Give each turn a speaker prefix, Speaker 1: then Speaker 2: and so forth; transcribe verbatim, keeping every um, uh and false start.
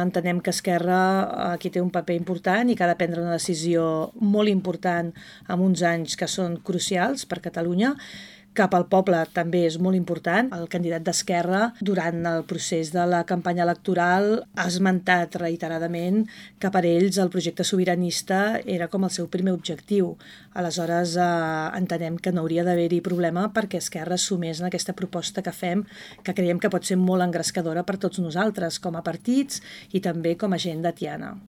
Speaker 1: Entenem que Esquerra aquí té un paper important i que ha de prendre una decisió molt important en uns anys que són crucials per Catalunya. Cap al poble també és molt important. El candidat d'Esquerra, durant el procés de la campanya electoral, ha esmentat reiteradament que per ells el projecte sobiranista era com el seu primer objectiu. Aleshores, eh, entenem que no hauria d'haver-hi problema perquè Esquerra sumés en aquesta proposta que fem, que creiem que pot ser molt engrescadora per tots nosaltres, com a partits i també com a gent de Tiana.